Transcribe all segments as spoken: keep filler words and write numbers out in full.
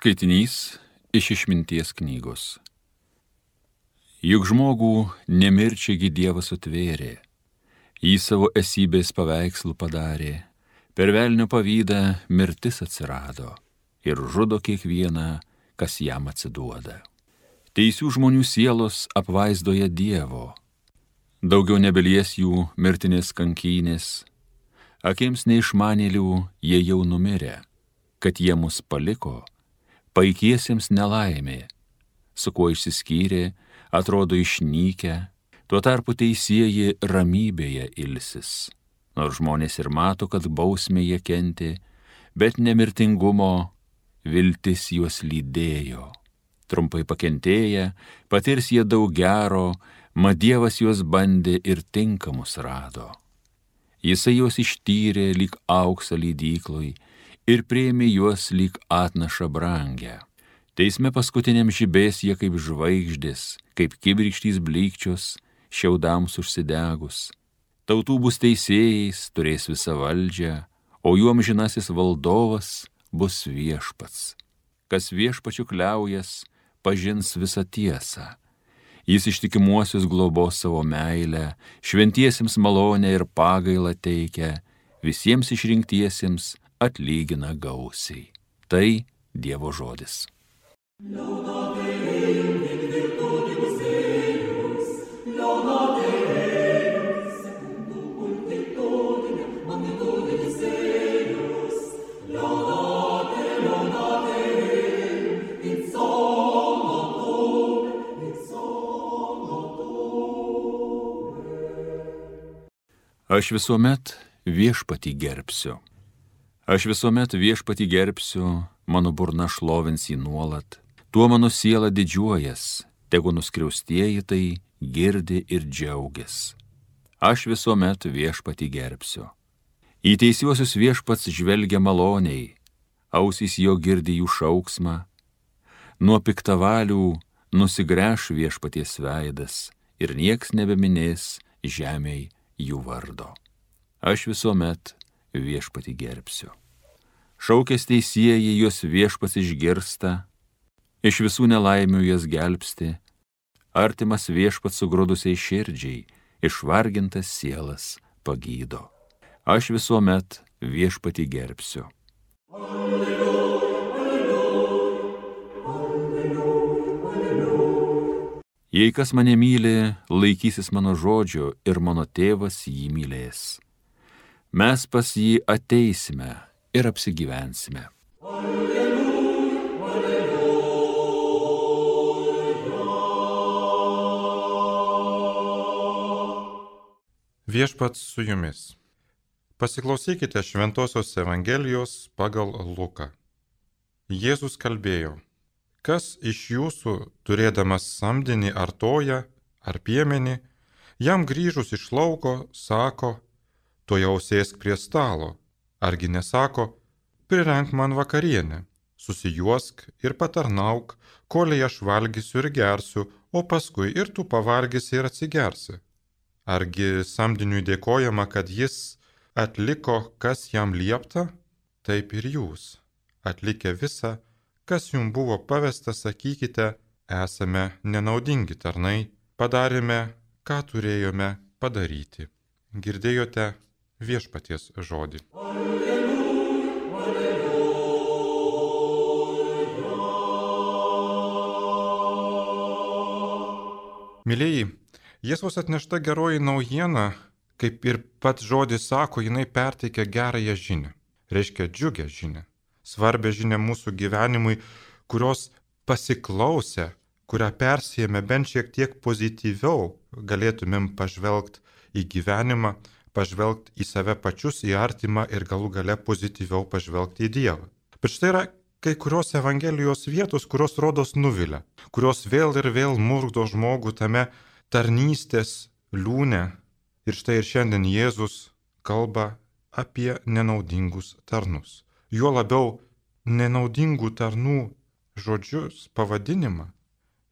Skaitinys iš Išminties knygos. Juk žmogų nemirčiagi Dievas sutvėrė, jį savo esybės paveikslų padarė, per velnio pavydą mirtis atsirado ir žudo kiekvieną, kas jam atsiduoda. Teisių žmonių sielos apvaizdoje Dievo, daugiau nebelies jų mirtinės kankynės, akims neišmanėlių jie jau numirę, kad jie mus paliko, paikiesiems nelaimė, su kuo išsiskyrė, atrodo išnykę, tuo tarpu teisieji ramybėje ilsis. Nors žmonės ir mato, kad bausmė jie kentė, bet nemirtingumo viltis juos lydėjo. Trumpai pakentėję, patirs jie daug gero, mat Dievas juos bandė ir tinkamus rado. Jisai juos ištyrė lyg auksą lydykloj ir priėmė juos lyg atnašą brangę. Teisme paskutiniam žibės jie kaip žvaigždės, kaip kibirkštys blykčios, šiaudams užsidegus. Tautų bus teisėjais, turės visą valdžią, o jų amžinasis valdovas bus viešpats. Kas viešpačiu kliaujas, pažins visą tiesą. Jis ištikimuosius globos savo meilę, šventiesiems malonę ir pagailą teikia, visiems išrinktiesiems atlygina gausiai. Tai Dievo žodis. Aš visuomet viešpatį gerbsiu. Aš visuomet viešpatį gerbsiu, mano burna šlovins jį nuolat. Tuo mano siela didžiuojas, tegu nuskriaustieji tai girdi ir džiaugias. Aš visuomet viešpatį gerbsiu. Į teisiuosius viešpats žvelgia maloniai, ausys jo girdi jų šauksmą. Nuo piktavalių nusigręš viešpaties veidas ir nieks nebeminės žemėj jų vardo. Aš visuomet viešpatį gerbsiu. Šaukęs teisieji juos viešpats išgirsta, iš visų nelaimių jas gelbsti, artimas viešpats sugrūdusiai širdžiai, išvargintas sielas pagydo. Aš visuomet viešpatį gerbsiu. Jei kas mane myli, laikysis mano žodžio ir mano tėvas jį mylės. Mes pas jį ateisime ir apsigyvensime. Alleluja, alleluja. Viešpats su jumis. Pasiklausykite Šventosios Evangelijos pagal Luką. Jėzus kalbėjo: kas iš jūsų, turėdamas samdinį ar toją, ar piemenį, jam grįžus iš lauko, sako, tuojau sėsk prie stalo, argi nesako, prirenk man vakarienę, susijuosk ir patarnauk, kolei aš valgysiu ir gersiu, o paskui ir tu pavalgysi ir atsigersi. Argi samdiniui dėkojama, kad jis atliko, kas jam liepta? Taip ir jūs, atlikę visą, kas jums buvo pavesta, sakykite, esame nenaudingi tarnai, padarėme, ką turėjome padaryti. Girdėjote viešpaties žodį. Alleluja, alleluja. Mylėjai, Jėzaus atnešta geroji naujiena, kaip ir pats žodis sako, jinai perteikia gerąją žinią, reiškia džiugę žinią. Svarbę žinią mūsų gyvenimui, kurios pasiklausę, kurią persijėme bent šiek tiek pozityviau, galėtumėm pažvelgti į gyvenimą, pažvelgti į save pačius, į artimą ir galų gale pozityviau pažvelgti į Dievą. Bet štai yra kai kurios Evangelijos vietos, kurios rodos nuvilia, kurios vėl ir vėl murgdo žmogų tame tarnystės liūne. Ir štai ir šiandien Jėzus kalba apie nenaudingus tarnus. Juo labiau nenaudingų tarnų žodžius, pavadinimą,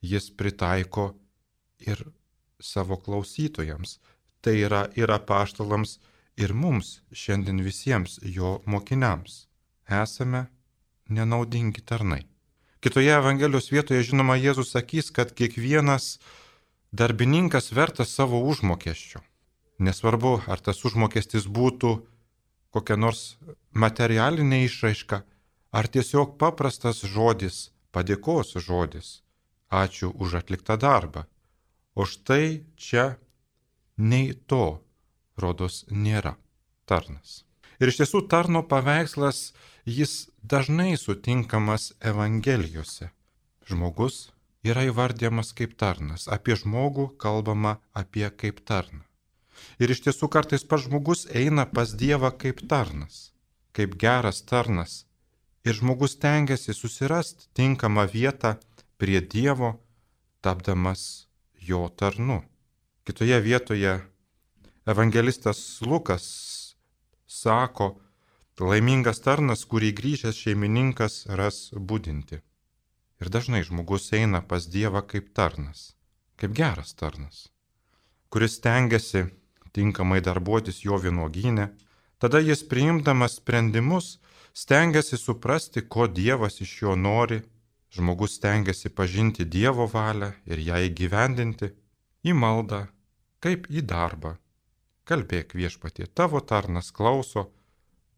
jis pritaiko ir savo klausytojams. Tai yra ir apaštalams, ir mums, šiandien visiems jo mokiniams. Esame nenaudingi tarnai. Kitoje Evangelijos vietoje, žinoma, Jėzus sakys, kad kiekvienas darbininkas vertas savo užmokesčio. Nesvarbu, ar tas užmokestis būtų kokia nors materialinė išraiška, ar tiesiog paprastas žodis, padėkos žodis. Ačiū už atliktą darbą. O štai čia nei to, rodos, nėra tarnas. Ir iš tiesų tarno paveikslas, jis dažnai sutinkamas Evangelijose. Žmogus yra įvardyjamas kaip tarnas, apie žmogų kalbama apie kaip tarną. Ir iš tiesų kartais pats žmogus eina pas Dievą kaip tarnas, kaip geras tarnas. Ir žmogus tengiasi susirasti tinkamą vietą prie Dievo, tapdamas jo tarnu. Kitoje vietoje evangelistas Lukas sako, laimingas tarnas, kurį grįžęs šeimininkas ras budinti. Ir dažnai žmogus eina pas Dievą kaip tarnas, kaip geras tarnas, kuris stengiasi tinkamai darbuotis jo vynuogyne. Tada jis priimdamas sprendimus stengiasi suprasti, ko Dievas iš jo nori. Žmogus stengiasi pažinti Dievo valią ir ją įgyvendinti į maldą, kaip į darbą. Kalbėk viešpatie, tavo tarnas klauso,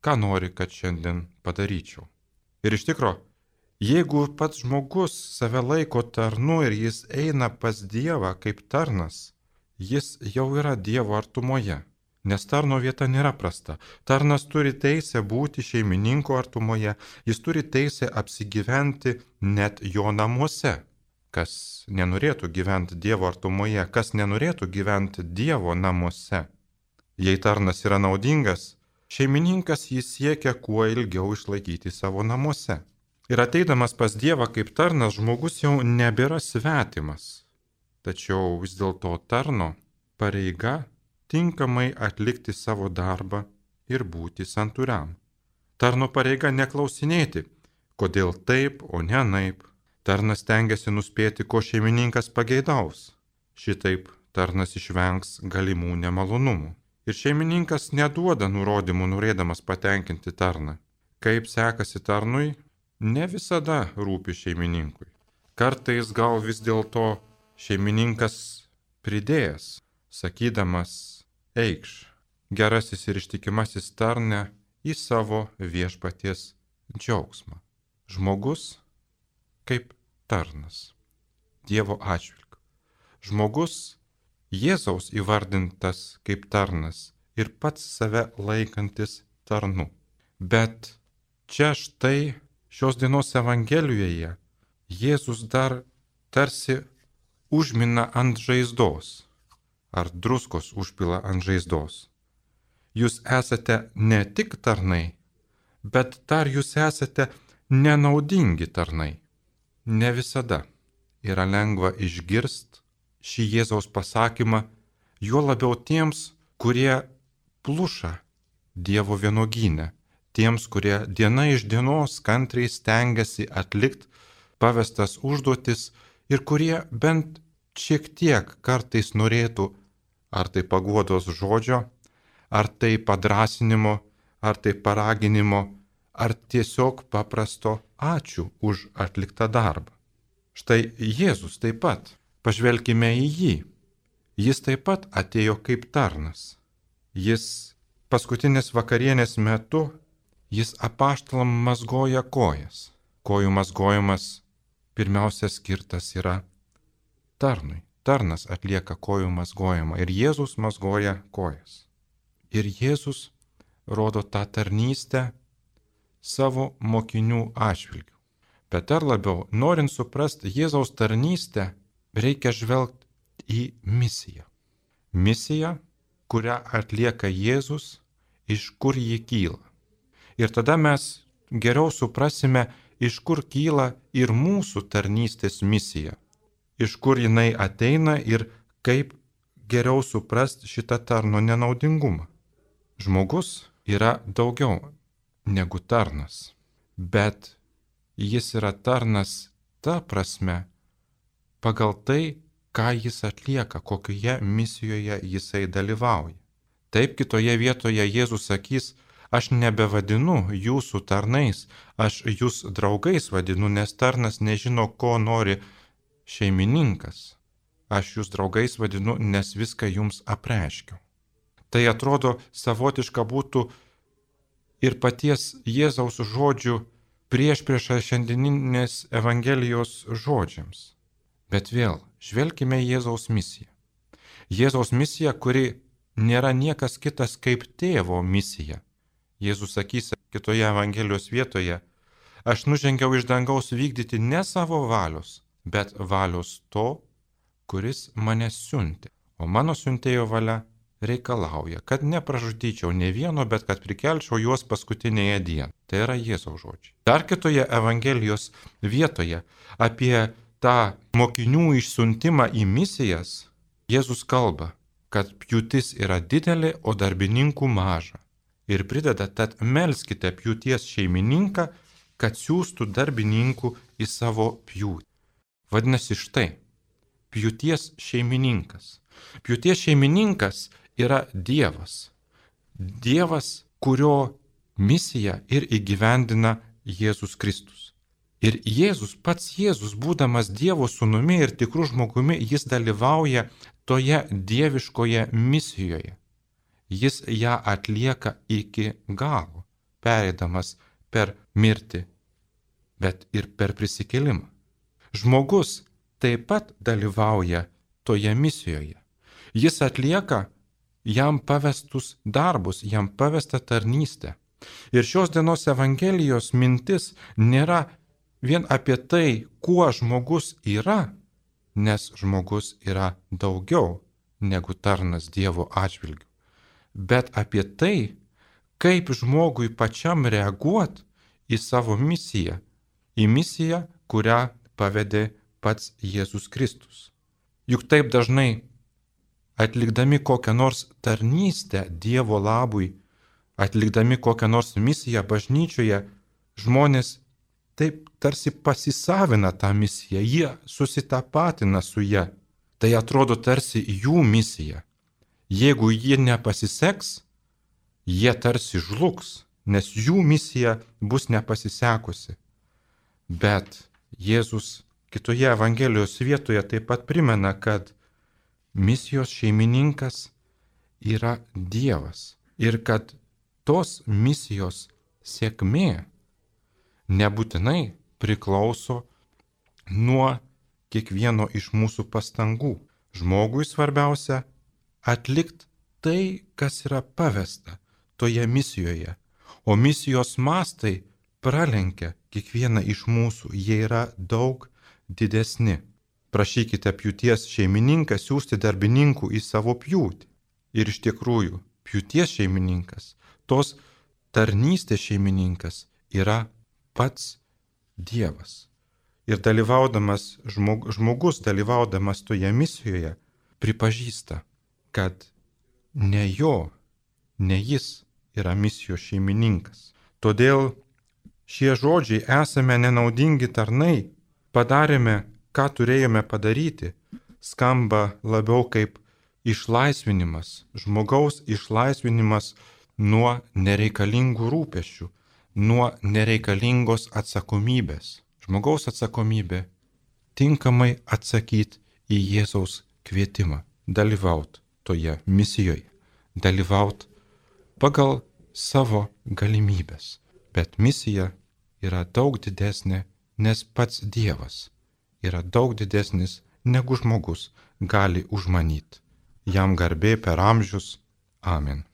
ką nori, kad šiandien padaryčiau. Ir iš tikro, jeigu pats žmogus save laiko tarnu ir jis eina pas Dievą kaip tarnas, jis jau yra Dievo artumoje, nes tarno vieta nėra prasta. Tarnas turi teisę būti šeimininko artumoje, jis turi teisę apsigyventi net jo namuose. Kas nenorėtų gyventi Dievo artumoje, kas nenorėtų gyventi Dievo namuose. Jei tarnas yra naudingas, šeimininkas jį siekia kuo ilgiau išlaikyti savo namuose. Ir ateidamas pas Dievą kaip tarnas, žmogus jau nebėra svetimas. Tačiau vis dėlto tarno pareiga tinkamai atlikti savo darbą ir būti santūriam. Tarno pareiga neklausinėti, kodėl taip, o ne anaip. Tarnas tengiasi nuspėti, ko šeimininkas pageidaus. Šitaip tarnas išvengs galimų nemalonumų. Ir šeimininkas neduoda nurodymų norėdamas patenkinti tarną. Kaip sekasi tarnui, ne visada rūpi šeimininkui. Kartais gal vis dėlto šeimininkas pridėjęs, sakydamas, eikš, gerasis ir ištikimasis tarne į savo viešpaties džiaugsmą. Žmogus kaip tarnas, Dievo atžvilgiu. Žmogus Jėzaus įvardintas kaip tarnas ir pats save laikantis tarnu. Bet čia štai šios dienos Evangelijoje Jėzus dar tarsi užmina ant žaizdos, ar druskos užpila ant žaizdos. Jūs esate ne tik tarnai, bet dar jūs esate nenaudingi tarnai. Ne visada yra lengva išgirsti šį Jėzaus pasakymą, juo labiau tiems, kurie pluša Dievo vynuogyne, tiems, kurie diena iš dienos kantriai stengiasi atlikti pavestas užduotis ir kurie bent šiek tiek kartais norėtų ar tai paguodos žodžio, ar tai padrasinimo, ar tai paraginimo, ar tiesiog paprasto ačiū už atliktą darbą. Štai Jėzus taip pat. Pažvelkime į jį. Jis taip pat atėjo kaip tarnas. Jis paskutinės vakarienės metu, jis apaštalam mazgoja kojas. Kojų mazgojimas pirmiausia skirtas yra tarnui. Tarnas atlieka kojų mazgojimą ir Jėzus mazgoja kojas. Ir Jėzus rodo tą tarnystę savo mokinių atžvilgiu. Bet dar labiau, norint suprasti Jėzaus tarnystę, reikia žvelgti į misiją. Misija, kurią atlieka Jėzus, iš kur ji kyla. Ir tada mes geriau suprasime, iš kur kyla ir mūsų tarnystės misija. Iš kur jinai ateina ir kaip geriau suprasti šitą tarno nenaudingumą. Žmogus yra daugiau negu tarnas, bet jis yra tarnas ta prasme, pagal tai, ką jis atlieka, kokioje misijoje jisai dalyvauja. Taip kitoje vietoje Jėzus sakys, Aš nebevadinu jūsų tarnais, aš jūs draugais vadinu, nes tarnas nežino, ko nori šeimininkas. Aš jūs draugais vadinu, nes viską jums apreiškiau. Tai atrodo savotiška būtų ir paties Jėzaus žodžių priešprieša šiandieninės Evangelijos žodžiams. Bet vėl, žvelkime į Jėzaus misiją. Jėzaus misija, kuri nėra niekas kitas kaip tėvo misija. Jėzus sakys kitoje Evangelijos vietoje, aš nužengiau iš dangaus vykdyti ne savo valios, bet valios to, kuris mane siuntė. O mano siuntėjo valia reikalauja, kad nepražudyčiau ne vieno, bet kad prikelčiau juos paskutinėje dieną. Tai yra Jėzaus žodžiai. Dar kitoje Evangelijos vietoje apie tą mokinių išsiuntimą į misijas Jėzus kalba, kad pjūtis yra didelė, o darbininkų maža. Ir prideda, tad melskite pjūties šeimininką, kad siųstų darbininkų į savo pjūtį. Vadinasi štai, pjūties šeimininkas. Pjūties šeimininkas yra Dievas. Dievas, kurio misiją ir įgyvendina Jėzus Kristus. Ir Jėzus, pats Jėzus, būdamas Dievo sūnumi ir tikrų žmogumi, jis dalyvauja toje dieviškoje misijoje. Jis ją atlieka iki galo, pereidamas per mirtį, bet ir per prisikėlimą. Žmogus taip pat dalyvauja toje misijoje. Jis atlieka jam pavestus darbus, jam pavestą tarnystę. Ir šios dienos Evangelijos mintis nėra vien apie tai, kuo žmogus yra, nes žmogus yra daugiau negu tarnas Dievo atžvilgiu, bet apie tai, kaip žmogui pačiam reaguoti į savo misiją, į misiją, kurią pavedė pats Jėzus Kristus. Juk taip dažnai atlikdami kokią nors tarnystę Dievo labui, atlikdami kokią nors misiją bažnyčioje, žmonės taip tarsi pasisavina tą misiją, jie susitapatina su ja. Tai atrodo tarsi jų misija. Jeigu ji nepasiseks, jie tarsi žlugs, nes jų misija bus nepasisekusi. Bet Jėzus kitoje Evangelijos vietoje taip pat primena, kad misijos šeimininkas yra Dievas ir kad tos misijos sėkmė nebūtinai priklauso nuo kiekvieno iš mūsų pastangų. Žmogui svarbiausia atlikti tai, kas yra pavesta toje misijoje, o misijos mastai pralenkia kiekvieną iš mūsų, jie yra daug didesni. Prašykite pjūties šeimininką siųsti darbininkų į savo pjūtį. Ir iš tikrųjų, pjūties šeimininkas, tos tarnystės šeimininkas yra pats Dievas. Ir dalyvaudamas, žmog, žmogus dalyvaudamas toje misijoje pripažįsta, kad ne jo, ne jis yra misijos šeimininkas. Todėl šie žodžiai esame nenaudingi tarnai, padarėme, ką turėjome padaryti, skamba labiau kaip išlaisvinimas, žmogaus išlaisvinimas nuo nereikalingų rūpesčių, nuo nereikalingos atsakomybės. Žmogaus atsakomybė tinkamai atsakyti į Jėzaus kvietimą, dalyvauti toje misijoje, dalyvauti pagal savo galimybės. Bet misija yra daug didesnė, nes pats Dievas yra daug didesnis, negu žmogus gali užmanyti. Jam garbė per amžius. Amen.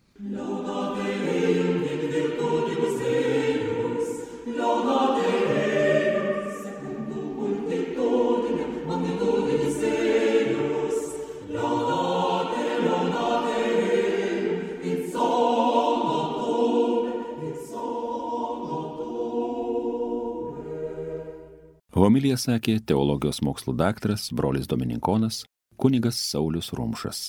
Homiliją sakė teologijos mokslų daktaras, brolis dominikonas, kunigas Saulius Rumšas.